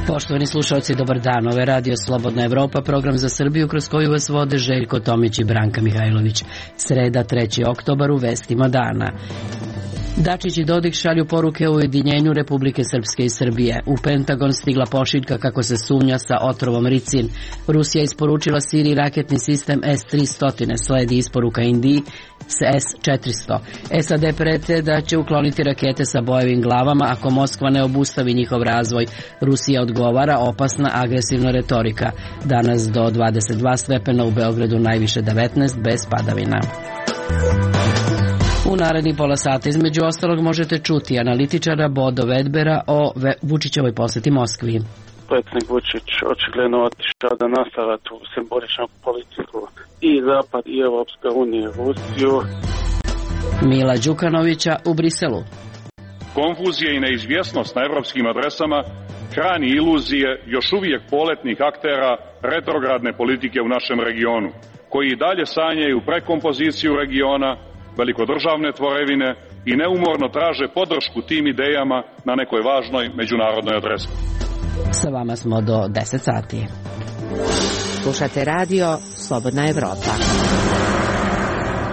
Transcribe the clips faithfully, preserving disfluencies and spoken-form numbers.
Poštovani slušalci, dobar dan. Ovo je Radio Slobodna Evropa, program za Srbiju kroz koju vas vode Željko Tomić i Branka Mihajlović. Sreda, treći oktobar, u vestima dana. Dačić i Dodik šalju poruke o ujedinjenju Republike Srpske i Srbije. U Pentagon stigla pošiljka kako se sumnja sa otrovom ricin. Rusija isporučila Siriji raketni sistem S tristo, sledi isporuka Indiji s S četiristo. S A D prete da će ukloniti rakete sa bojevim glavama ako Moskva ne obustavi njihov razvoj. Rusija odgovara, opasna agresivna retorika. Danas do dvadeset dva stepena, u Beogradu najviše devetnaest, bez padavina. U naredni pola sata između ostalog možete čuti analitičara Bodo Vedbera o Vučićevoj poseti Moskvi. Predsjednik Vučić očigledno otišao da nastavlja tu simboličnu politiku i Zapad i Evropska unija Rusiju. Mila Đukanovića u Briselu. Konfuzija i neizvjesnost na evropskim adresama hrani iluzije još uvijek poletnih aktera retrogradne politike u našem regionu, koji i dalje sanjaju prekompoziciju regiona, velikodržavne tvorevine i neumorno traže podršku tim idejama na nekoj važnoj međunarodnoj adresi. Sa vama smo do deset sati. Slušate radio Slobodna Evropa.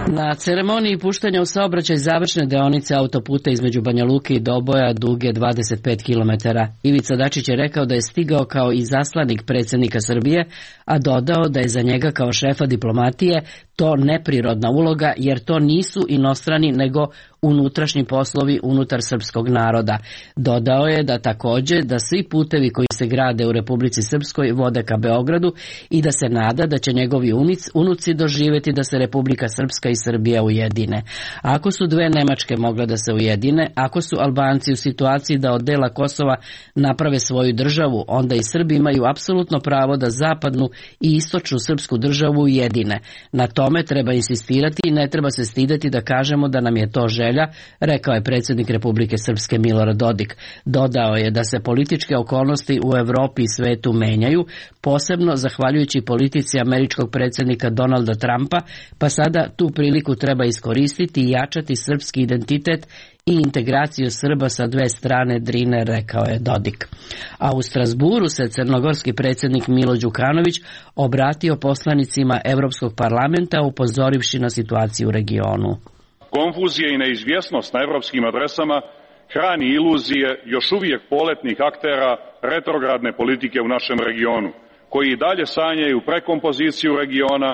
Na ceremoniji puštanja u saobraćaj završne deonice autoputa između Banja Luke i Doboja duge dvadeset pet kilometara, Ivica Dačić je rekao da je stigao kao i zaslanik predsjednika Srbije, a dodao da je za njega kao šefa diplomatije to neprirodna uloga, jer to nisu inostrani nego unutrašnji poslovi unutar srpskog naroda. Dodao je da također da svi putevi koji se grade u Republici Srpskoj vode ka Beogradu i da se nada da će njegovi unic, unuci doživjeti da se Republika Srpska i Srbija ujedine. Ako su dve Nemačke mogle da se ujedine, ako su Albanci u situaciji da od dela Kosova naprave svoju državu, onda i Srbi imaju apsolutno pravo da zapadnu i istočnu srpsku državu ujedine. Na tome treba insistirati i ne treba se stideti da kažemo da nam je to želja, rekao je predsjednik Republike Srpske Milorad Dodik. Dodao je da se političke okolnosti u Evropi i svetu menjaju, posebno zahvaljujući politici američkog predsjednika Donalda Trumpa, pa sada tu priliku treba iskoristiti i jačati srpski identitet i integraciju Srba sa dve strane Drine, rekao je Dodik. A u Strasburu se crnogorski predsjednik Milo Đukanović obratio poslanicima Evropskog parlamenta upozorivši na situaciju u regionu. Konfuzija i neizvjesnost na evropskim adresama hrani iluzije još uvijek poletnih aktera retrogradne politike u našem regionu, koji i dalje sanjaju prekompoziciju regiona,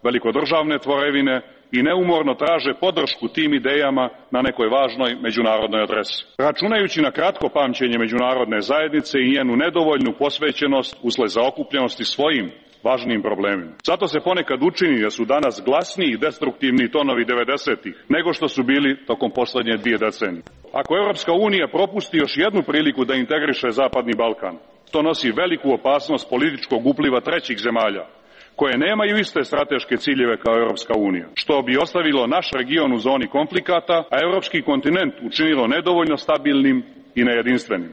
velikodržavne tvorevine i neumorno traže podršku tim idejama na nekoj važnoj međunarodnoj adresi. Računajući na kratko pamćenje međunarodne zajednice i njenu nedovoljnu posvećenost usled zaokupljenosti svojim važnim problemima. Zato se ponekad učini da su danas glasniji i destruktivni tonovi devedesetih nego što su bili tokom posljednje dvije decenije. Ako Evropska unija propusti još jednu priliku da integriše Zapadni Balkan, to nosi veliku opasnost političkog upliva trećih zemalja, koje nemaju iste strateške ciljeve kao Evropska unija, što bi ostavilo naš region u zoni konflikata, a evropski kontinent učinilo nedovoljno stabilnim i nejedinstvenim.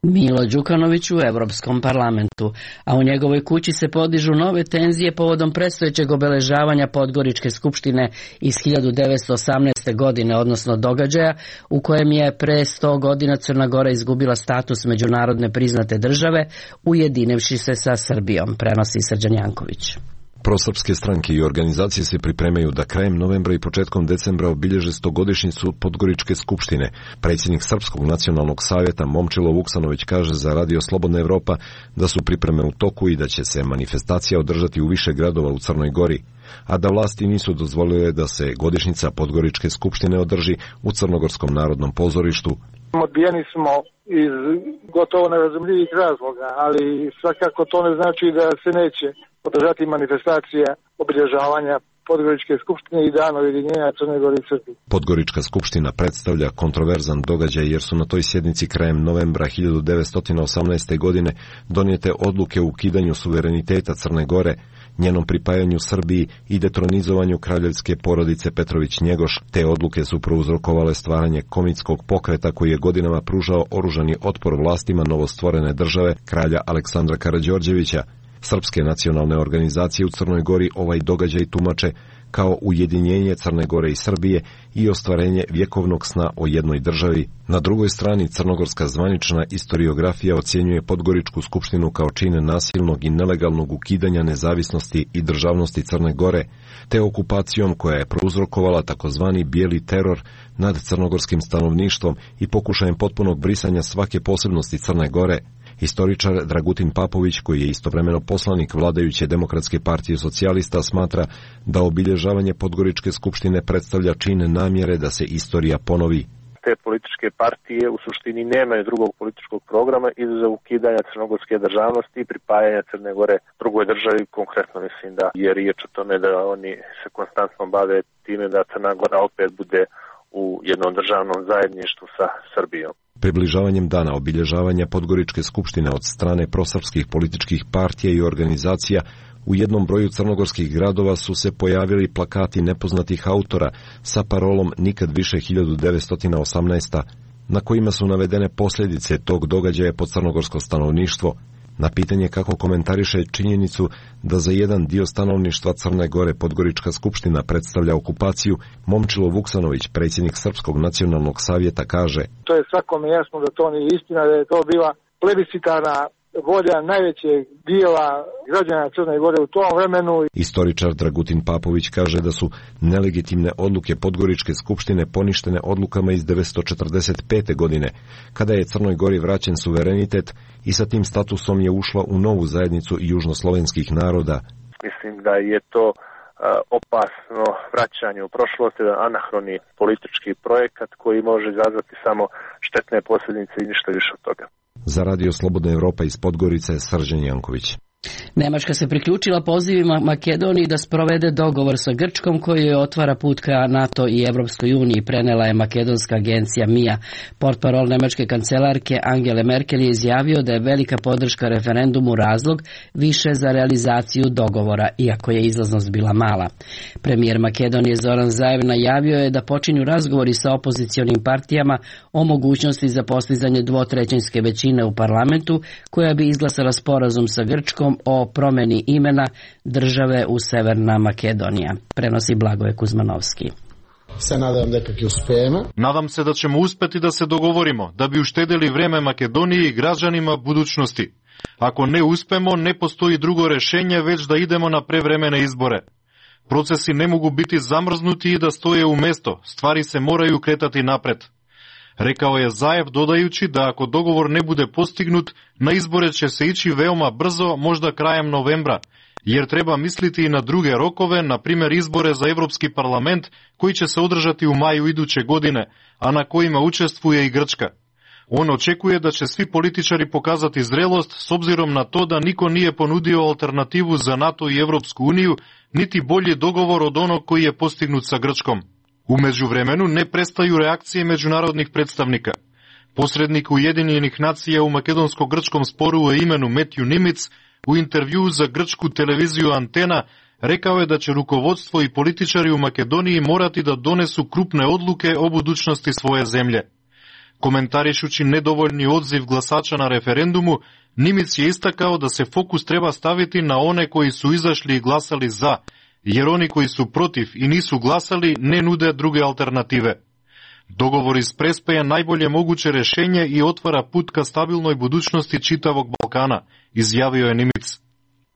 Milo Đukanović u Evropskom parlamentu, a u njegovoj kući se podižu nove tenzije povodom predstojećeg obeležavanja Podgoričke skupštine iz hiljadu devetsto osamnaeste. godine, odnosno događaja u kojem je pre sto godina Crna Gora izgubila status međunarodne priznate države, ujedinivši se sa Srbijom, prenosi Srđan Janković. Prosrpske stranke i organizacije se pripremaju da krajem novembra i početkom decembra obilježe stogodišnjicu Podgoričke skupštine. Predsjednik Srpskog nacionalnog savjeta Momčilo Vuksanović kaže za Radio Slobodna Evropa da su pripreme u toku i da će se manifestacija održati u više gradova u Crnoj Gori, a da vlasti nisu dozvolile da se godišnjica Podgoričke skupštine održi u Crnogorskom narodnom pozorištu. Odbijeni smo iz gotovo nerazumljivih razloga, ali svakako to ne znači da se neće održati manifestacija obilježavanja Podgoričke skupštine i dana ujedinjenja Crne Gore i Srbije. Podgorička skupština predstavlja kontroverzan događaj jer su na toj sjednici krajem novembra hiljadu devetsto osamnaeste. godine donijete odluke o ukidanju suvereniteta Crne Gore, njenom pripajanju Srbiji i detronizovanju kraljevske porodice Petrović-Njegoš. Te odluke su prouzrokovale stvaranje komitskog pokreta koji je godinama pružao oružani otpor vlastima novostvorene države kralja Aleksandra Karađorđevića. Srpske nacionalne organizacije u Crnoj Gori ovaj događaj tumače kao ujedinjenje Crne Gore i Srbije i ostvarenje vjekovnog sna o jednoj državi. Na drugoj strani crnogorska zvanična istoriografija ocjenjuje Podgoričku skupštinu kao čin nasilnog i nelegalnog ukidanja nezavisnosti i državnosti Crne Gore, te okupacijom koja je prouzrokovala takozvani bijeli teror nad crnogorskim stanovništvom i pokušajem potpunog brisanja svake posebnosti Crne Gore. Historičar Dragutin Papović, koji je istovremeno poslanik vladajuće Demokratske partije socijalista, smatra da obilježavanje Podgoričke skupštine predstavlja čin namjere da se istorija ponovi. Te političke partije u suštini nemaju drugog političkog programa izuzev ukidanja crnogorske državnosti i pripajanja Crne Gore drugoj državi. Konkretno mislim da je riječ o tome da oni se konstantno bave time da Crna Gora opet bude u jednom državnom zajedništvu sa Srbijom. Približavanjem dana obilježavanja Podgoričke skupštine od strane prosrpskih političkih partija i organizacija u jednom broju crnogorskih gradova su se pojavili plakati nepoznatih autora sa parolom Nikad više hiljadu devetsto osamnaeste. na kojima su navedene posljedice tog događaja po crnogorsko stanovništvo. Na pitanje kako komentariše činjenicu da za jedan dio stanovništva Crne Gore Podgorička skupština predstavlja okupaciju, Momčilo Vuksanović, predsjednik Srpskog nacionalnog savjeta, kaže: To je svakome jasno da to nije istina, da je to bila plebiscitarna volja najvećeg dijela građana Crne Gore u tom vremenu. Istoričar Dragutin Papović kaže da su nelegitimne odluke Podgoričke skupštine poništene odlukama iz devetsto četrdeset pete. godine, kada je Crnoj Gori vraćen suverenitet i sa tim statusom je ušla u novu zajednicu južnoslovenskih naroda. Mislim da je to uh, opasno vraćanje u prošlost, jedan anahroni politički projekat koji može izazvati samo štetne posljedice i ništa više od toga. Za Radio Slobodna Evropa iz Podgorice, Srđan Janković. Nemačka se priključila pozivima Makedoniji da sprovede dogovor sa Grčkom koji joj otvara put ka NATO i Evropskoj uniji, prenela je makedonska agencija M I A. Portparol nemačke kancelarke Angele Merkel je izjavio da je velika podrška referendumu razlog više za realizaciju dogovora, iako je izlaznost bila mala. Premijer Makedonije Zoran Zaev najavio je da počinju razgovori sa opozicionim partijama o mogućnosti za postizanje dvotrećinske većine u parlamentu koja bi izglasala sporazum sa Grčkom o promjeni imena države u Severna Makedonija. Prenosi Blagoje Kuzmanovski. Se nadam da kako uspijemo. Nadam se da ćemo uspjeti da se dogovorimo, da bi uštedeli vrijeme Makedoniji i građanima budućnosti. Ako ne uspemo, ne postoji drugo rješenje, već da idemo na prevremene izbore. Procesi ne mogu biti zamrznuti i da stoje u mjesto, stvari se moraju kretati napred. Rekao je Zaev, dodajući da ako dogovor ne bude postignut, na izbore će se ići veoma brzo, možda krajem novembra, jer treba misliti i na druge rokove, na primjer izbore za Europski parlament koji će se održati u maju iduće godine, a na kojima učestvuje i Grčka. On očekuje da će svi političari pokazati zrelost s obzirom na to da niko nije ponudio alternativu za NATO i Europsku uniju, niti bolji dogovor od onog koji je postignut sa Grčkom. U međuvremenu ne prestaju reakcije međunarodnih predstavnika. Posrednik Ujedinjenih nacija u makedonsko-grčkom sporu o imenu Matthew Nimitz u intervjuu za grčku televiziju Antena rekao je da će rukovodstvo i političari u Makedoniji morati da donesu krupne odluke o budućnosti svoje zemlje. Komentarišući nedovoljni odziv glasača na referendumu, Nimitz je istakao da se fokus treba staviti na one koji su izašli i glasali za, jer oni koji su protiv i nisu glasali ne nude druge alternative. Dogovor iz Prespe je najbolje moguće rješenje i otvara put ka stabilnoj budućnosti čitavog Balkana, izjavio je Nimitz.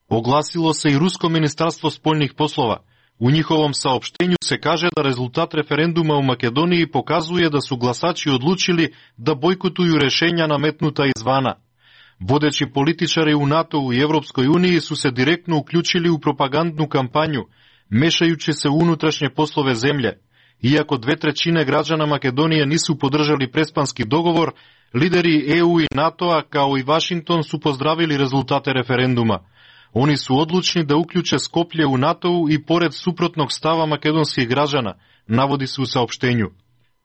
Oglasilo se i Rusko ministarstvo spoljnih poslova. U njihovom saopštenju se kaže da rezultat referenduma u Makedoniji pokazuje da su glasači odlučili da bojkotuju rješenja nametnuta izvana. Vodeći političari u NATO-u i Europskoj uniji su se direktno uključili u propagandnu kampanju, mešajući se u unutrašnje poslove zemlje. Iako dve trećine građana Makedonije nisu podržali prespanski dogovor, lideri E U i NATO-a kao i Washington su pozdravili rezultate referenduma. Oni su odlučni da uključe Skoplje u NATO-u i pored suprotnog stava makedonskih građana, navodi se u saopštenju.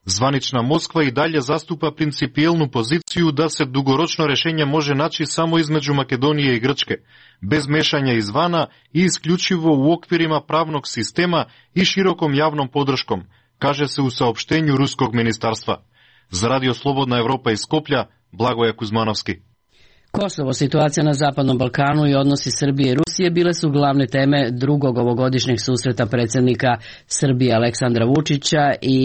Zvanična Moskva i dalje zastupa principijelnu poziciju da se dugoročno rješenje može naći samo između Makedonije i Grčke, bez mešanja izvana i isključivo u okvirima pravnog sistema i širokom javnom podrškom, kaže se u saopštenju Ruskog ministarstva. Za Radio Slobodna Evropa iz Skoplja, Blagoje Kuzmanovski. Kosovo, situacija na Zapadnom Balkanu i odnosi Srbije i Rusije bile su glavne teme drugog ovogodišnjeg susreta predsjednika Srbije Aleksandra Vučića i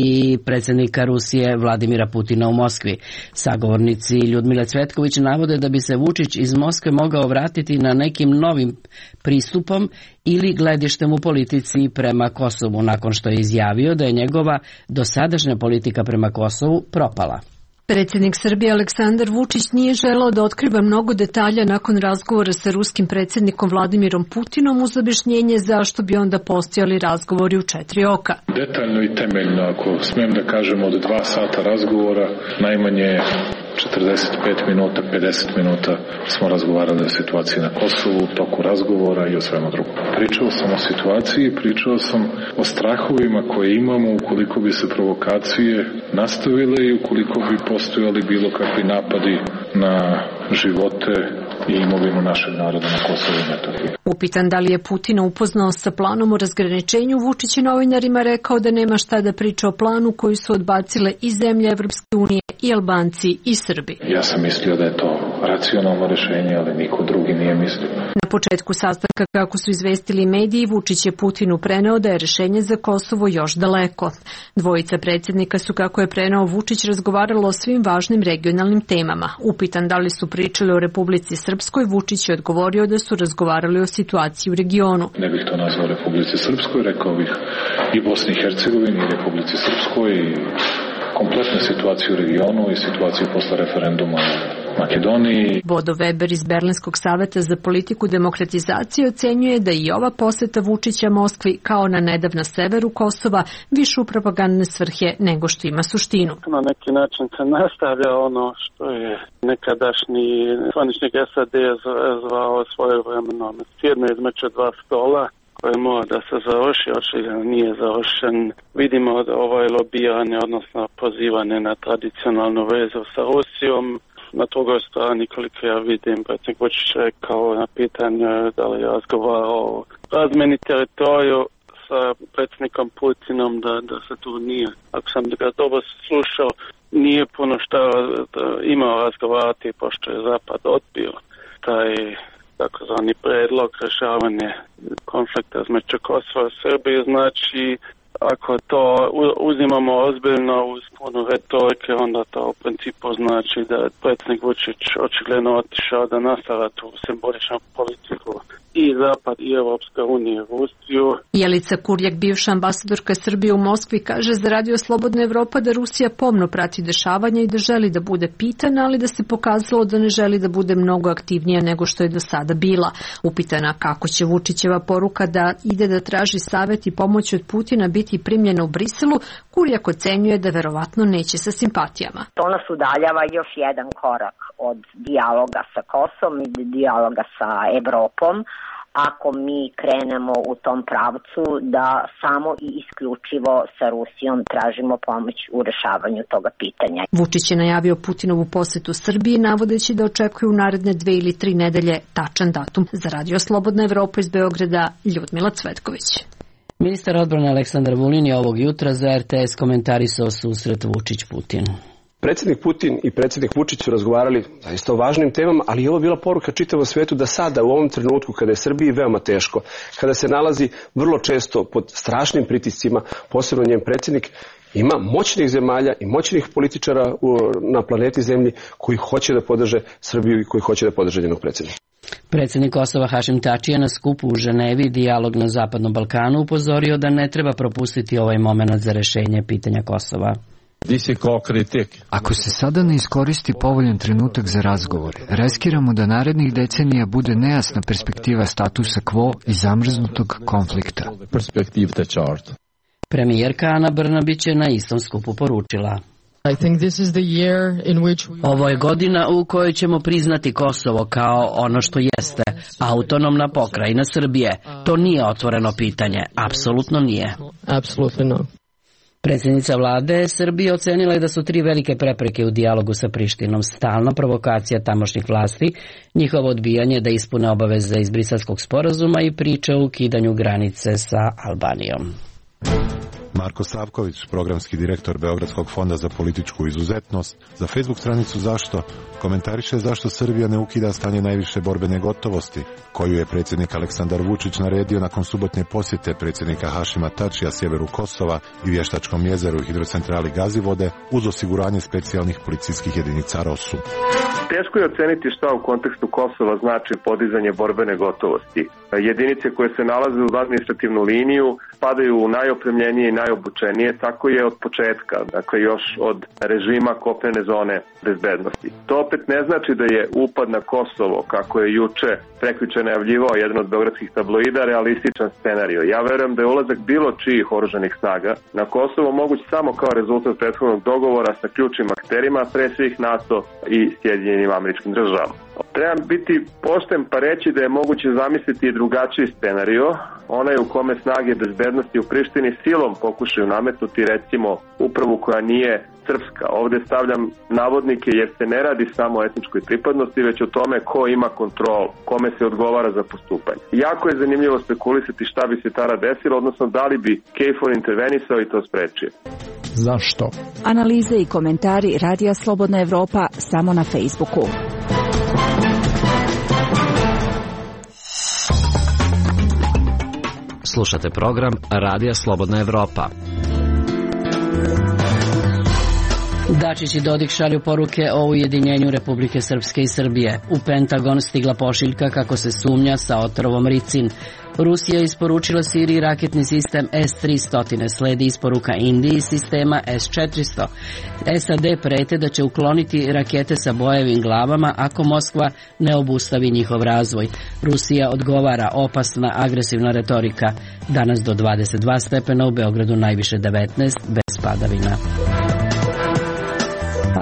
predsjednika Rusije Vladimira Putina u Moskvi. Sagovornici Ljudmile Cvetković navode da bi se Vučić iz Moskve mogao vratiti na nekim novim pristupom ili gledištem u politici prema Kosovu, nakon što je izjavio da je njegova dosadašnja politika prema Kosovu propala. Predsjednik Srbije Aleksandar Vučić nije želeo da otkriva mnogo detalja nakon razgovora sa ruskim predsjednikom Vladimirom Putinom uz objašnjenje zašto bi onda postojali razgovori u četiri oka. Detaljno i temeljno, ako smijem da kažem, od dva sata razgovora najmanje četrdeset pet minuta, pedeset minuta smo razgovarali o situaciji na Kosovu, u toku razgovora i o svemu drugom. Pričao sam o situaciji, pričao sam o strahovima koje imamo ukoliko bi se provokacije nastavile i ukoliko bi postojali bilo kakvi napadi na živote i imovinu našeg naroda na Kosovu i Metohiji. Upitan da li je Putina upoznao sa planom o razgraničenju, Vučić je novinarima rekao da nema šta da priča o planu koji su odbacile i zemlje Evropske unije i Albanci i Srbi. Ja sam mislio da je to racionalno rješenje, ali niko drugi nije mislio. Na početku sastanka, kako su izvestili mediji, Vučić je Putinu preneo da je rješenje za Kosovo još daleko. Dvojica predsjednika su, kako je preneo Vučić, razgovaralo o svim važnim regionalnim temama. Upitan da li su pričali o Republici Srpskoj, Vučić je odgovorio da su razgovarali o situaciji u regionu. Ne bih to nazvao Republici Srpskoj, rekao bih i Bosni i Hercegovini i Republici Srpskoj i kompletnu situaciju u regionu i situaciju posle referenduma u Makedoniji. Bodo Weber iz Berlinskog saveta za politiku demokratizacije ocenjuje da i ova poseta Vučića Moskvi, kao na nedavna severu Kosova, više u propagandne svrhe nego što ima suštinu. Na neki način se nastavlja ono što je nekadašnji zvaničnik S A D zvao svojevremeno sjedno između dva stola, koje mora da se završi, očigledno nije završen. Vidimo da ovaj lobiranje, odnosno pozivanje na tradicionalnu vezu sa Rusijom. Na drugoj strani, koliko ja vidim, predsjednik Vučić rekao na pitanje da li je razgovarao o razmeni teritoriju sa predsjednikom Putinom, da, da se tu nije, ako sam ga dobro slušao, nije puno što imao razgovarati, pošto je Zapad odbio taj takozvani predlog rješavanja konflikta između Kosova i Srbije. Znači, ako to uzimamo ozbiljno uz puno retorike, onda to u principu znači da predsjednik Vučić očigledno otišao da nastavlja tu simboličnu politiku i Zapad i Evropska unija u Rusiju. Jelica Kurjak, bivša ambasadorka Srbije u Moskvi, kaže za Radio Slobodna Evropa da Rusija pomno prati dešavanja i da želi da bude pitana, ali da se pokazalo da ne želi da bude mnogo aktivnija nego što je do sada bila. Upitana kako će Vučićeva poruka da ide da traži savjet i pomoć od Putina biti primljena u Briselu, Kurjak ocenjuje da verovatno neće sa simpatijama. To nas udaljava još jedan korak od dijaloga sa Kosovom i dijaloga sa Evropom, ako mi krenemo u tom pravcu da samo i isključivo sa Rusijom tražimo pomoć u rešavanju toga pitanja. Vučić je najavio Putinovu posetu Srbiji, navodeći da očekuje u naredne dve ili tri nedelje tačan datum. Za Radio Slobodna Evropa iz Beograda, Ljudmila Cvetković. Ministar odbrane Aleksandar Vulin je ovog jutra za R T S komentarisao susret Vučić-Putin. Predsjednik Putin i predsjednik Vučić su razgovarali zaista o važnim temama, ali je ovo bila poruka čitavom svetu da sada u ovom trenutku kada je Srbiji veoma teško, kada se nalazi vrlo često pod strašnim pritiscima, posebno njen predsjednik, ima moćnih zemalja i moćnih političara na planeti Zemlji koji hoće da podrže Srbiju i koji hoće da podrže njenog predsjednika. Predsjednik Kosova Hašim Tači je na skupu u Ženevi Dijalog na Zapadnom Balkanu upozorio da ne treba propustiti ovaj moment za rešenje pitanja Kosova. Ako se sada ne iskoristi povoljan trenutak za razgovore, riskiramo da narednih decenija bude nejasna perspektiva statusa quo i zamrznutog konflikta. Premijerka Ana Brnabić je na istom skupu poručila: Ovo je godina u kojoj ćemo priznati Kosovo kao ono što jeste, autonomna pokrajina Srbije. To nije otvoreno pitanje, apsolutno nije. Predsjednica vlade Srbije ocenila je da su tri velike prepreke u dijalogu sa Prištinom: stalna provokacija tamošnjih vlasti, njihovo odbijanje da ispune obaveze iz Briselskog sporazuma i priče o ukidanju granice sa Albanijom. Marko Savković, programski direktor Beogradskog fonda za političku izuzetnost, za Facebook stranicu Zašto komentariše zašto Srbija ne ukida stanje najviše borbene gotovosti, koju je predsjednik Aleksandar Vučić naredio nakon subotnje posjete predsjednika Hašima Tačija sjeveru Kosova i Vještačkom jezeru i hidrocentrali Gazivode uz osiguranje specijalnih policijskih jedinica ROSU. Teško je oceniti šta u kontekstu Kosova znači podizanje borbene gotovosti. Jedinice koje se nalaze uz administrativnu liniju padaju u najopremljenije i najobučenije, tako je od početka, dakle još od režima kopnene zone bezbednosti. To opet ne znači da je upad na Kosovo, kako je juče prekjuče najavljivao jedan od beogradskih tabloida, realističan scenario. Ja verujem da je ulazak bilo čijih oružanih snaga na Kosovo moguć samo kao rezultat prethodnog dogovora sa ključnim akterima, pre svih NATO i Sjedinjenim Američkim Državama. Trebam biti pošten pa reći da je moguće zamisliti i drugačiji scenario, onaj u kome snage bezbednosti u Prištini silom pokušaju nametnuti recimo upravu koja nije srpska. Ovde stavljam navodnike jer se ne radi samo o etničkoj pripadnosti, već o tome ko ima kontrol, kome se odgovara za postupanje. Jako je zanimljivo spekulisati šta bi se tada desilo, odnosno da li bi KFOR intervenisao i to sprečio. Zašto? Analize i komentari Radija Slobodna Evropa samo na Facebooku. Slušate program Radija Slobodna Evropa. Dačić i Dodik šalju poruke o ujedinjenju Republike Srpske i Srbije. U Pentagon stigla pošiljka kako se sumnja sa otrovom ricin. Rusija je isporučila Siriji raketni sistem S tristo, sledi isporuka Indiji sistema S četiristo. S A D prete da će ukloniti rakete sa bojevim glavama ako Moskva ne obustavi njihov razvoj. Rusija odgovara, opasna agresivna retorika. Danas do dvadeset dva stepena, u Beogradu najviše devetnaest, bez padavina.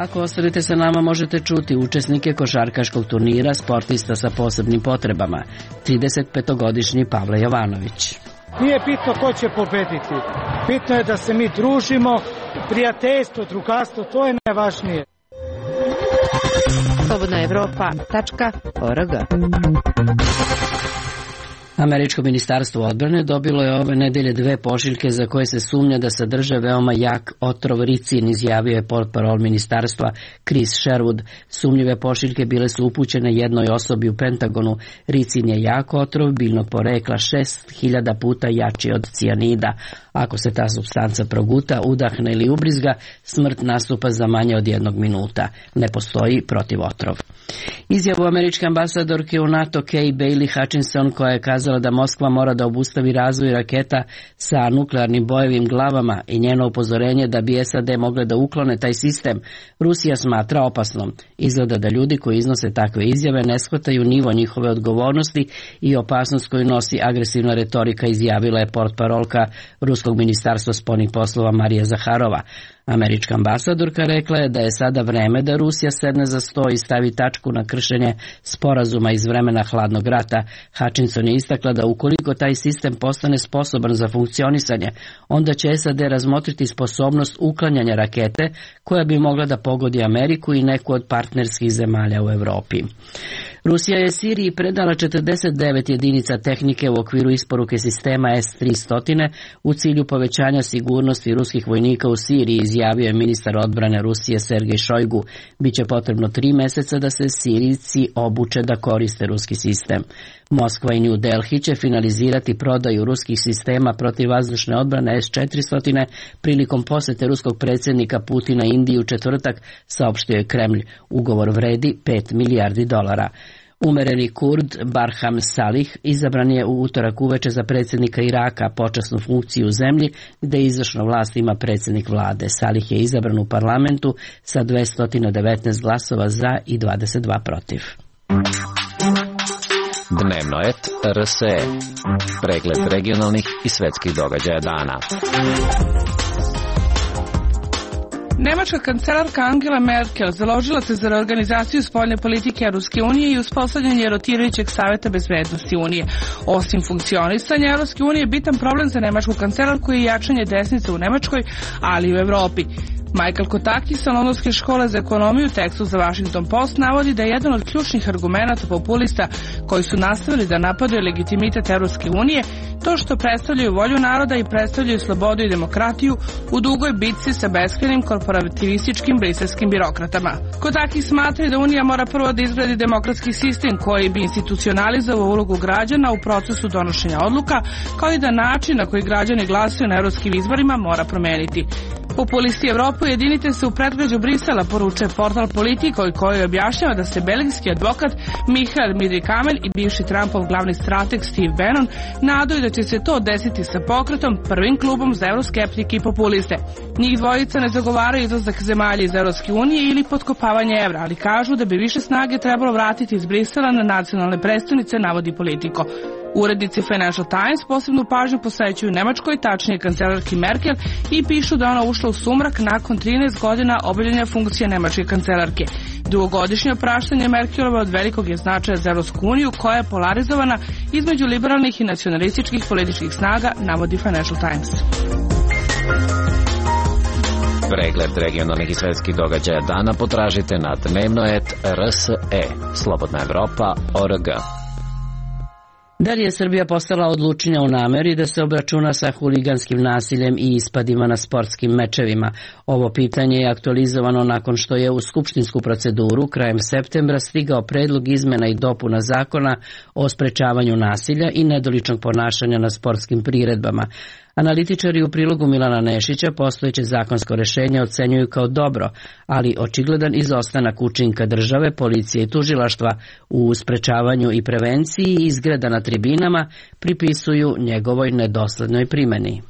Ako ostanete sa nama, možete čuti učesnike košarkaškog turnira sportista sa posebnim potrebama. tridesetpetogodišnji Pavle Jovanović. Nije bitno ko će pobediti. Bitno je da se mi družimo, prijateljstvo, drugarstvo, to je najvažnije. slobodna evropa tačka org. Američko ministarstvo odbrane dobilo je ove nedelje dve pošiljke za koje se sumnja da sadrže veoma jak otrov ricin, izjavio je portparol ministarstva Chris Sherwood. Sumnjive pošiljke bile su upućene jednoj osobi u Pentagonu. Ricin je jak otrov biljnog porekla, šest hiljada puta jači od cijanida. Ako se ta supstanca proguta, udahne ili ubrizga, smrt nastupa za manje od jednog minuta. Ne postoji protivotrov. Izjavu američke ambasadorke u NATO Kay Bailey Hutchinson, koja je kazala da Moskva mora da obustavi razvoj raketa sa nuklearnim bojevim glavama, i njeno upozorenje da bi S A D mogle da uklone taj sistem, Rusija smatra opasnom. Izgleda da ljudi koji iznose takve izjave ne shvataju nivo njihove odgovornosti i opasnost koju nosi agresivna retorika, izjavila je portparolka Ruskog ministarstva spoljnih poslova Marija Zaharova. Američka ambasadorka rekla je da je sada vreme da Rusija sedne za sto i stavi tačku na kršenje sporazuma iz vremena hladnog rata. Hutchinson je istakla da ukoliko taj sistem postane sposoban za funkcionisanje, onda će S A D razmotriti sposobnost uklanjanja rakete koja bi mogla da pogodi Ameriku i neku od partnerskih zemalja u Evropi. Rusija je Siriji predala četrdeset devet jedinica tehnike u okviru isporuke sistema S tristo u cilju povećanja sigurnosti ruskih vojnika u Siriji, izjavio je ministar odbrane Rusije Sergej Šojgu. Biće potrebno tri meseca da se Sirijci obuče da koriste ruski sistem. Moskva i New Delhi će finalizirati prodaju ruskih sistema protivvazdušne odbrane S četiristo prilikom posete ruskog predsjednika Putina Indiji u četvrtak, saopštio je Kremlj. Ugovor vredi pet milijardi dolara. Umereni Kurd Barham Salih izabran je u utorak uveče za predsjednika Iraka, počasnu funkciju u zemlji gde izvršnu vlast ima predsjednik vlade. Salih je izabran u parlamentu sa dvesta devetnaest glasova za i dvadeset dva protiv. Dnevno et R S E. Pregled regionalnih i svetskih događaja dana. Nemačka kancelarka Angela Merkel založila se za reorganizaciju spoljne politike Ruske unije i uspostavljanje rotirajućeg saveta bezbednosti Unije. Osim funkcionisanja Ruske unije, bitan problem za nemačku kancelarku je jačanje desnice u Nemačkoj, ali i u Evropi. Michael Kotaki sa Londonske škole za ekonomiju u tekstu za Washington Post navodi da je jedan od ključnih argumenata populista koji su nastavili da napadaju legitimitet Evropske unije to što predstavljaju volju naroda i predstavljaju slobodu i demokratiju u dugoj bitci sa beskrajnim korporativističkim briselskim birokratama. Kotaki smatra da Unija mora prvo da izgradi demokratski sistem koji bi institucionalizovao ulogu građana u procesu donošenja odluka, kao i da način na koji građani glasaju na evropskim izborima mora promeniti. Populisti Evropu, jedinite se u predgrađu Brisela, poručuje portal Politico i koji objašnjava da se belgijski advokat Michael Midri-Kamen i bivši Trumpov glavni strateg Steve Bannon nadaju da će se to desiti sa pokretom, prvim klubom za euroskeptike i populiste. Njih dvojica ne zagovaraju izlazak zemalja iz Evropske unije ili potkopavanje evra, ali kažu da bi više snage trebalo vratiti iz Brisela na nacionalne prestonice, navodi Politico. Urednici Financial Times posebnu pažnju posvećuju Nemačkoj, tačnije kancelarki Merkel, i pišu da ona ušla u sumrak nakon trinaest godina obavljanja funkcije nemačke kancelarke. Dugogodišnje opraštanje Merkelova od velikog je značaja za Evropsku uniju, koja je polarizovana između liberalnih i nacionalističkih političkih snaga, navodi Financial Times. Pregled regionalnih i svetskih događaja dana potražite na dnevnoet R S E, Slobodna Evropa, O R G. Da li je Srbija postala odlučnija u nameri da se obračuna sa huliganskim nasiljem i ispadima na sportskim mečevima? Ovo pitanje je aktualizovano nakon što je u skupštinsku proceduru krajem septembra stigao predlog izmena i dopuna zakona o sprečavanju nasilja i nedoličnog ponašanja na sportskim priredbama. Analitičari u prilogu Milana Nešića postojeće zakonsko rešenje ocenjuju kao dobro, ali očigledan izostanak učinka države, policije i tužilaštva u sprečavanju i prevenciji izgreda na tribinama pripisuju njegovoj nedoslednoj primeni.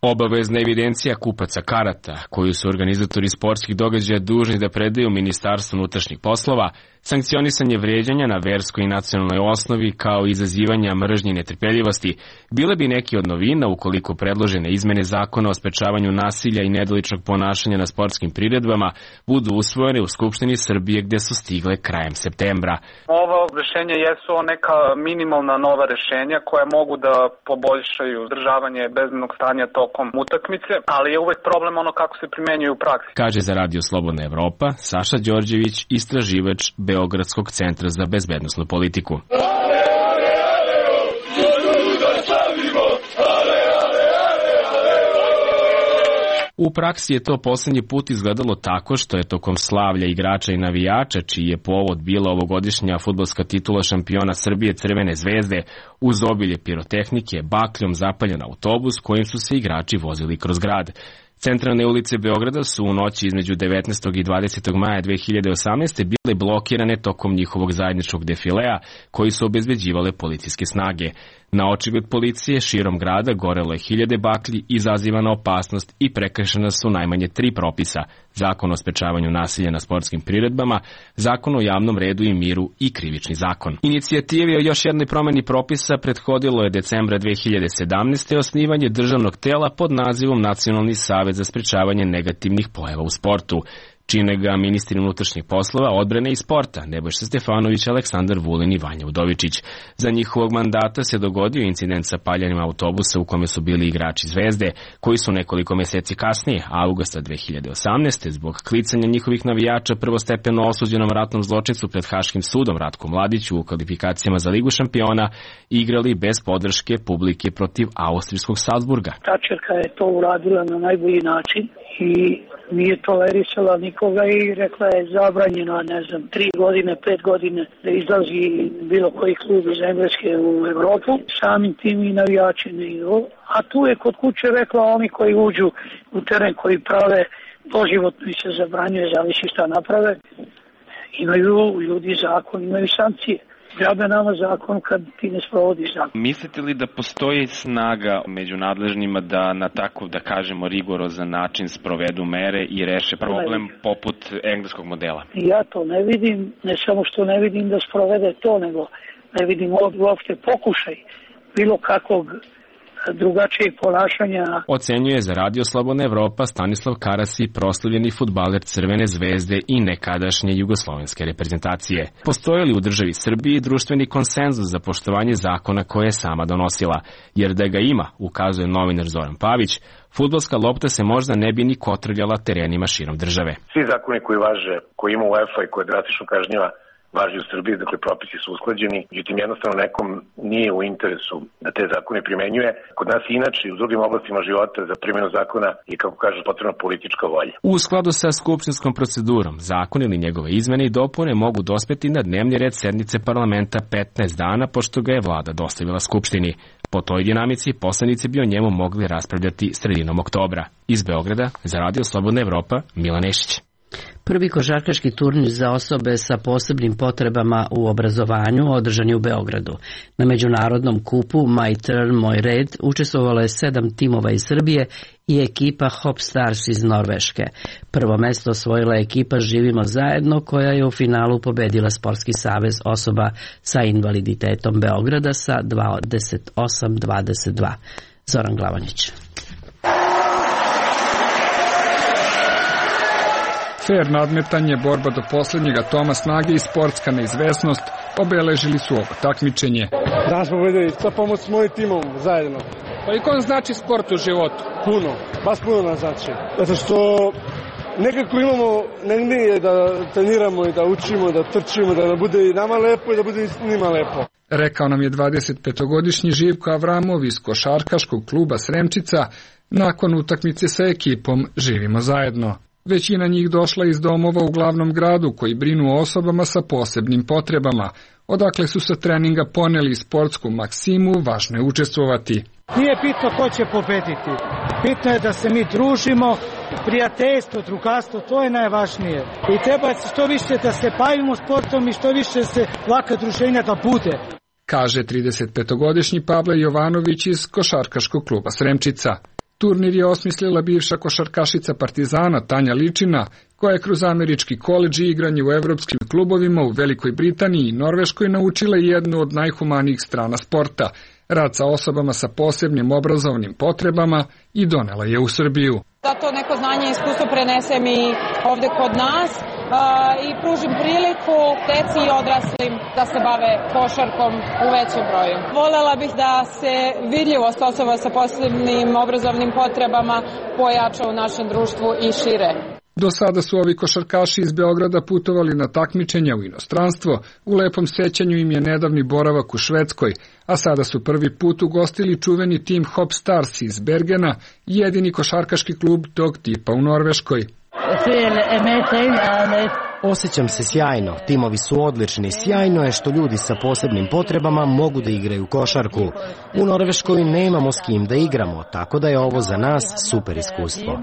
Obavezna evidencija kupaca karata, koju su organizatori sportskih događaja dužni da predaju Ministarstvu unutrašnjih poslova, sankcionisanje vrijeđanja na verskoj i nacionalnoj osnovi kao i izazivanja mržnje i netrpeljivosti, bile bi neki od novina ukoliko predložene izmene zakona o sprečavanju nasilja i nedoličnog ponašanja na sportskim priredbama budu usvojene u Skupštini Srbije, gde su stigle krajem septembra. Ova rešenja jesu neka minimalna nova rešenja koja mogu da poboljšaju održavanje bezbednog stanja tokom utakmice, ali je uvek problem ono kako se primenjuju u praksi. Kaže za Radio Slobodna Evropa Saša Đorđević, istraživač Beogradskog centra za bezbednosnu politiku. U praksi je to poslednji put izgledalo tako što je tokom slavlja igrača i navijača, čiji je povod bila ovogodišnja fudbalska titula šampiona Srbije Crvene zvezde, uz obilje pirotehnike, bakljom zapaljen autobus kojim su se igrači vozili kroz grad. Centralne ulice Beograda su u noći između devetnaestog i dvadesetog maja dve hiljade osamnaeste bile blokirane tokom njihovog zajedničkog defilea koji su obezbeđivale policijske snage. Na očigled policije širom grada gorelo je hiljade baklji, izazivana opasnost i prekršena su najmanje tri propisa: Zakon o sprečavanju nasilja na sportskim priredbama, Zakon o javnom redu i miru i Krivični zakon. Inicijativi o još jednoj promeni propisa prethodilo je decembra dve hiljade sedamnaeste. osnivanje državnog tela pod nazivom Nacionalni savet za sprečavanje negativnih pojava u sportu. Čine ga ministri unutrašnjih poslova, odbrane i sporta Nebojša Stefanović, Aleksandar Vulin i Vanja Udovičić. Za njihovog mandata se dogodio incident sa paljenjem autobusa u kome su bili igrači Zvezde, koji su nekoliko meseci kasnije, avgusta dve hiljade osamnaeste. zbog klicanja njihovih navijača prvostepeno osuđenom ratnom zločincu pred Haškim sudom Ratku Mladiću u kvalifikacijama za Ligu šampiona igrali bez podrške publike protiv austrijskog Salzburga. Tačerka je to uradila na najbolji način i nije tolerisala nikoga i rekla je zabranjeno, ne znam, tri godine, pet godine da izlazi bilo koji klub iz Engleske u Evropu, samim tim i navijači ne idu. A tu je kod kuće rekla oni koji uđu u teren, koji prave doživotno i se zabranjuje, zavisi šta naprave, imaju ljudi zakon, imaju sankcije. Džabe nama zakon kad ti ne sprovodiš zakon. Mislite li da postoji snaga među nadležnima da na tako, da kažemo, rigorozan način sprovedu mere i reše problem poput engleskog modela? Ja to ne vidim, ne samo što ne vidim da sprovede to, nego ne vidim uopšte pokušaj bilo kakvog drugačijeg ponašanja. Ocenjuje za Radio Slobodna Evropa Stanislav Karasi, proslavljeni fudbaler Crvene zvezde i nekadašnje jugoslovenske reprezentacije. Postoji li u državi Srbiji društveni konsenzus za poštovanje zakona koje je sama donosila? Jer da ga ima, ukazuje novinar Zoran Pavić, fudbalska lopta se možda ne bi ni kotrljala terenima širom države. Svi zakoni koji važe, koji ima UEFA i koje drastično kažnjava, važi u Srbiji, dakle propisi su usklađeni, međutim jednostavno nekom nije u interesu da te zakone primenjuje. Kod nas inače i u drugim oblastima života za primjenu zakona je, kako kaže, potrebna politička volja. U skladu sa skupštinskom procedurom, zakon ili njegove izmene i dopune mogu dospeti na dnevni red sednice parlamenta petnaest dana, pošto ga je vlada dostavila skupštini. Po toj dinamici poslanici bi o njemu mogli raspravljati sredinom oktobra. Iz Beograda, za Radio Slobodna Evropa, Milan Nešić. Prvi košarkaški turnir za osobe sa posebnim potrebama u obrazovanju održan je u Beogradu. Na međunarodnom kupu My Turn, Moj red učestvovalo je sedam timova iz Srbije i ekipa Hop Stars iz Norveške. Prvo mesto osvojila je ekipa Živimo zajedno, koja je u finalu pobedila Sportski savez osoba sa invaliditetom Beograda sa dvadeset osam dvadeset dva. Zoran Glavanić. Fair nadmetanje, borba do posljednjeg atoma snage i sportska neizvesnost obeležili su ovo takmičenje. Danas smo vidjeli sa pomoć s mojim timom zajedno. Koliko vam znači sport u životu? Puno, baš puno nam znači. Zato što nekako imamo negdje da treniramo i da učimo, da trčimo, da bude i nama lepo i da bude i njima lepo. Rekao nam je dvadesetpetogodišnji Živko Avramov iz košarkaškog kluba Sremčica nakon utakmice sa ekipom Živimo zajedno. Većina njih došla iz domova u glavnom gradu koji brinu o osobama sa posebnim potrebama, odakle su sa treninga poneli sportsku maksimu, važno je učestvovati. Nije bitno ko će pobediti, bitno je da se mi družimo, prijateljstvo, drugarstvo, to je najvažnije. I treba što više da se bavimo sportom i što više se laka druženja da bude. Kaže tridesetpetogodišnji Pavle Jovanović iz košarkaškog kluba Sremčica. Turnir je osmislila bivša košarkašica Partizana Tanja Ličina, koja je kroz američki koledž i igranje u evropskim klubovima u Velikoj Britaniji i Norveškoj naučila jednu od najhumanijih strana sporta, rad sa osobama sa posebnim obrazovnim potrebama, i donela je u Srbiju. Da to neko znanje i iskustvo prenesem i ovde kod nas i pružim priliku deci i odraslim da se bave košarkom u većem broju. Volela bih da se vidljivost osoba sa posebnim obrazovnim potrebama pojača u našem društvu i šire. Do sada su ovi košarkaši iz Beograda putovali na takmičenja u inostranstvo, u lepom sećanju im je nedavni boravak u Švedskoj, a sada su prvi put ugostili čuveni tim Hop Stars iz Bergena, jedini košarkaški klub tog tipa u Norveškoj. Osjećam se sjajno, timovi su odlični, sjajno je što ljudi sa posebnim potrebama mogu da igraju košarku. U Norveškoj nemamo s kim da igramo, tako da je ovo za nas super iskustvo.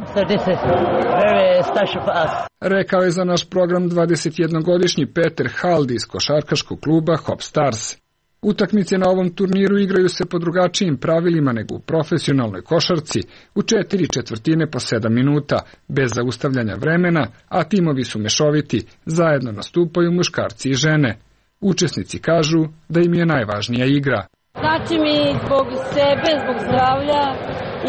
Rekao je za naš program dvadesetjednogodišnji Peter Hald iz košarkaškog kluba Hop Stars. Utakmice na ovom turniru igraju se po drugačijim pravilima nego u profesionalnoj košarci, u četiri četvrtine po sedam minuta, bez zaustavljanja vremena, a timovi su mešoviti, zajedno nastupaju muškarci i žene. Učesnici kažu da im je najvažnija igra. Znači mi zbog sebe, zbog zdravlja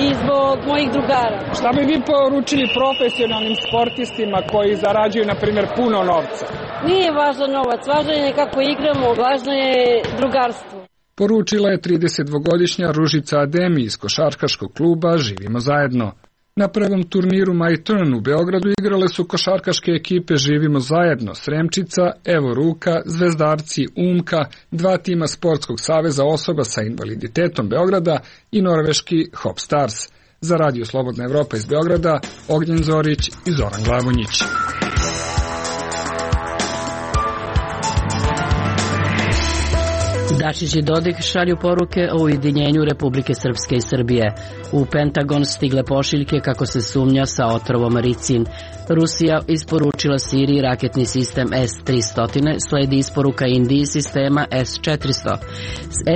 i zbog mojih drugara. Šta bi vi poručili profesionalnim sportistima koji zarađuju, na primjer, puno novca? Nije važan novac, važno je kako igramo, važno je drugarstvo. Poručila je tridesetdvogodišnja Ružica Ademi iz košarkaškog kluba Živimo zajedno. Na prvom turniru My Turn u Beogradu igrale su košarkaške ekipe Živimo zajedno, Sremčica, Evo Ruka, Zvezdarci, Umka, dva tima Sportskog saveza osoba sa invaliditetom Beograda i norveški Hop Stars. Za Radio Slobodna Evropa iz Beograda, Ognjen Zorić i Zoran Glavonjić. Dačić i Dodik šalju poruke o ujedinjenju Republike Srpske i Srbije. U Pentagon stigle pošiljke kako se sumnja sa otrovom ricin. Rusija isporučila Siriji raketni sistem S tristo, sledi isporuka Indiji sistema S četiristo.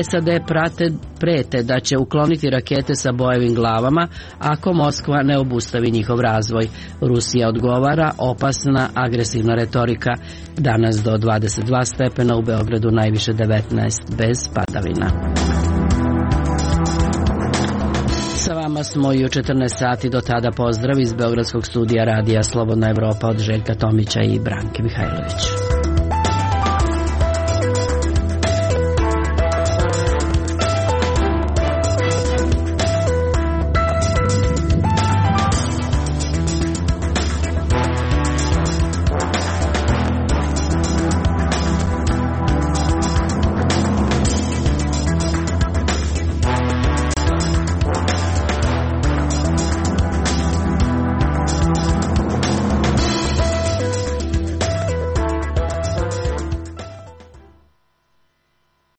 S A D prate, prete da će ukloniti rakete sa bojevim glavama ako Moskva ne obustavi njihov razvoj. Rusija odgovara: opasna, agresivna retorika. Danas do dvadeset dva stepena, u Beogradu najviše devetnaest, bez padavina. Sa vama smo i u četrnaest sati, do tada pozdrav iz Beogradskog studija radija Slobodna Evropa od Željka Tomića i Branke Mihajlović.